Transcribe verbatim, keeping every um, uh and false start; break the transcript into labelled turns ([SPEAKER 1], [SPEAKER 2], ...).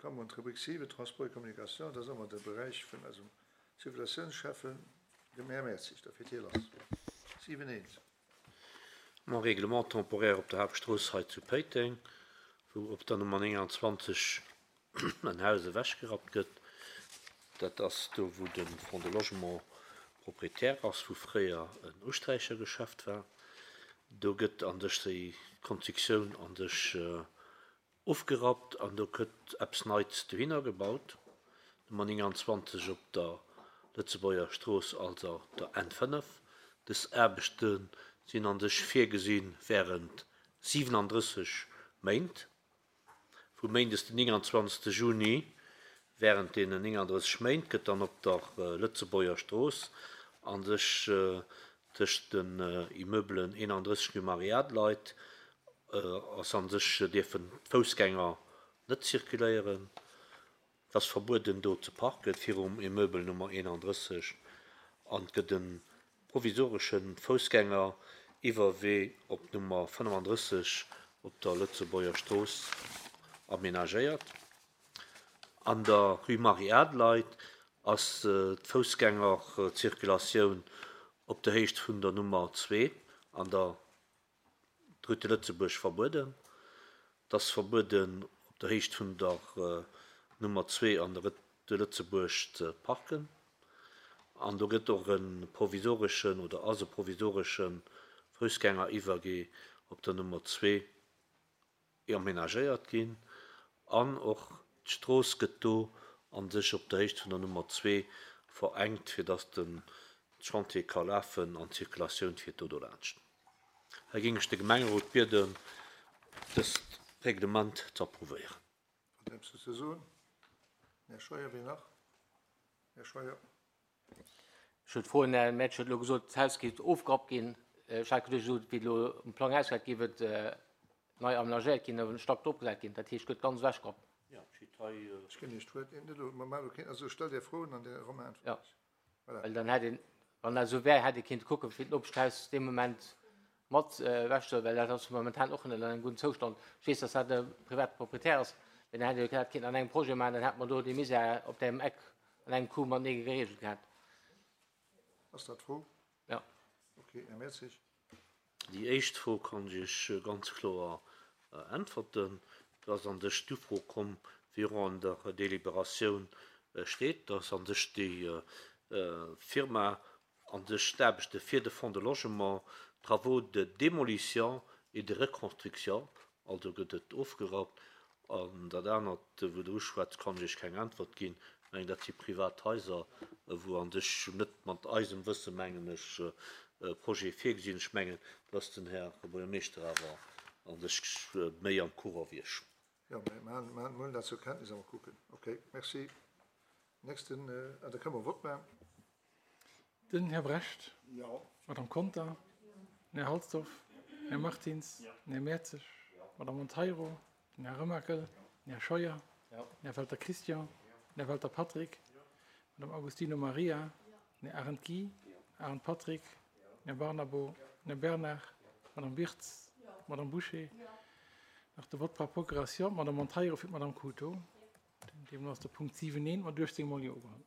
[SPEAKER 1] Komme mer un d'Rubrik siwen, Transport et Communication. Dat ass ëmmer de Beräich vun eisem Circulatiounsschäffen, dem Här Mertzig. Da fiert hie lass. Siwen eent.
[SPEAKER 2] Mon Règlement temporaire op der Haaptstrooss hei zu Péiteng, wou op der Nummer nénganzwanzeg en Haus ewechgerappt gëtt. Dat ass do, wou de Fonds de Logement Proprietär ass, wou fréier en Usträichergeschäft war. Do gëtt an sech déi Konstruktioun an sech ofgerappt an do gëtt eppes Neits dohinner gebaut. Nummer nénganzwanzeg op der Lëtzebuerger Strooss, also der N fënnef. Dës Aarbechte sinn an sech virgesi während siwenandrësseg Méint. Vu méindes den nénganzwanzegste Juni während deenen nénganddrësseg Méint gëtt dann op der Lëtzebuerger Strooss an sech tëscht den Immeubelen eenandrësseg rue Marie-Adelheid ass an sech dierfen d'Foussgänger net zirkuléieren. Et ass verbueden do ze parken virum Immeuble Nummer eenandrësseg an et gëtt e provisoresche Foussgängeriwwerwee op Nummer fënnefandrësseg op der Lëtzebuerger Strooss aménagéiert. An der Rue Marie-Adelheid ass d'Foussgängerzirkulatioun op der Héicht vun der Nummer zwee an der Rue de Lëtzebuerg verbueden. Et ass verbueden, op der Héicht vun der Nummer zwee an der Rue de Lëtzebuerg ze parken. An do gëtt och e provisoreschen oder ass e provisoresche Foussgängeriwwergee op der Nummer zwee aménagéiert ginn. An och d'Strooss gëtt do an sech op der Héicht vun der Nummer zwee verengt, fir datt de Chantier ka lafen an d'Zirkulatioun fiert do dolaanscht. Hei géing ech de Gemengerot bieden, dëst Reglement ze approuvéieren.
[SPEAKER 1] Wat eppes ze soen? Här Scheuer, wien nach? Här Scheuer.
[SPEAKER 3] Ech huet d'Fro, den Här Mertsch huet elo gesot, d'Haus géif ofgerappt ginn. Ech hat geduecht, esou wéi et elo um Plang ausgesäit, géif et nei amenagéiert ginn, en Stack drop gesat ginn. Dat heescht, et gëtt ganz ewechgerappt.
[SPEAKER 2] Jo, steet hei.
[SPEAKER 1] Ech ginn Iech d'Wuert. Net elo, mer maachen elo keen, also stellt Är Froen an de Romain äntwert
[SPEAKER 3] Jo.
[SPEAKER 1] Iech. Voilà.
[SPEAKER 3] Well dann hätt een, wann dat esou wär, hätt ee kéinte kucken, fir d'Nopeschhaus dee Moment mat ewechzehuelen, well dat ass momentan och net an engem gudden Zoustand. Ech weess, dass dat e private Proprietär ass, mee dann hätt ee dat kéinten an engem Projet maachen, dann hätt mer do dee Misär op deem Eck an engem Coup matenee geregelt gehat.
[SPEAKER 1] Ass dat d'Fro?
[SPEAKER 3] Jo.
[SPEAKER 1] Okay, Här Mertzig.
[SPEAKER 2] Déi éischt Fro kann ech Iech ganz kloer äntwerten. Do ass an sech d'Ufro komm, wéi och an der Deliberatioun steet, dass an sech déi Firma an sech d'Aarbechte fir de Fonds de Logement, Travaux de démolition et de reconstruction, also gëtt et ofgerappt. An dat anert, wou Der uschwätzt, kann ech Iech keng Äntwert ginn. Ech mengen, dat si privat Haiser, wou an sech net mat eisem Wësse, mengen ech, Projete virgesinn. Ech mengen, do ass den Här Buergermeeschter awer an sech méi am Courant wéi ech.
[SPEAKER 1] Jo, mä mer huelen dat zur Kenntnis a mer kucken. Okay, merci. Nächsten, ah, da kënne mer Vott maachen.
[SPEAKER 4] Den Här Brecht. Jo. D'Madame Conter. Den Här Halsdorf. Den Här Martins. Den Här Mertzig. D'Madame Monteiro. Den Här Remakel. Den Här Scheuer. Den Här Welter Christian. Den Här Welter Patrick. D'Madame Agostino Maria. Den Här Arendt Guy. Arendt Patrick. Den Här Barnabo. Den Här Bernard. D'Madame Wirtz. D'Madame Bouché. Nach de Vote par procuration, d'Madame Monteiro fir d'Madame Couto. Deemno ass de Punkt siwen eent mat uechtzéng mol Jo ugeholl.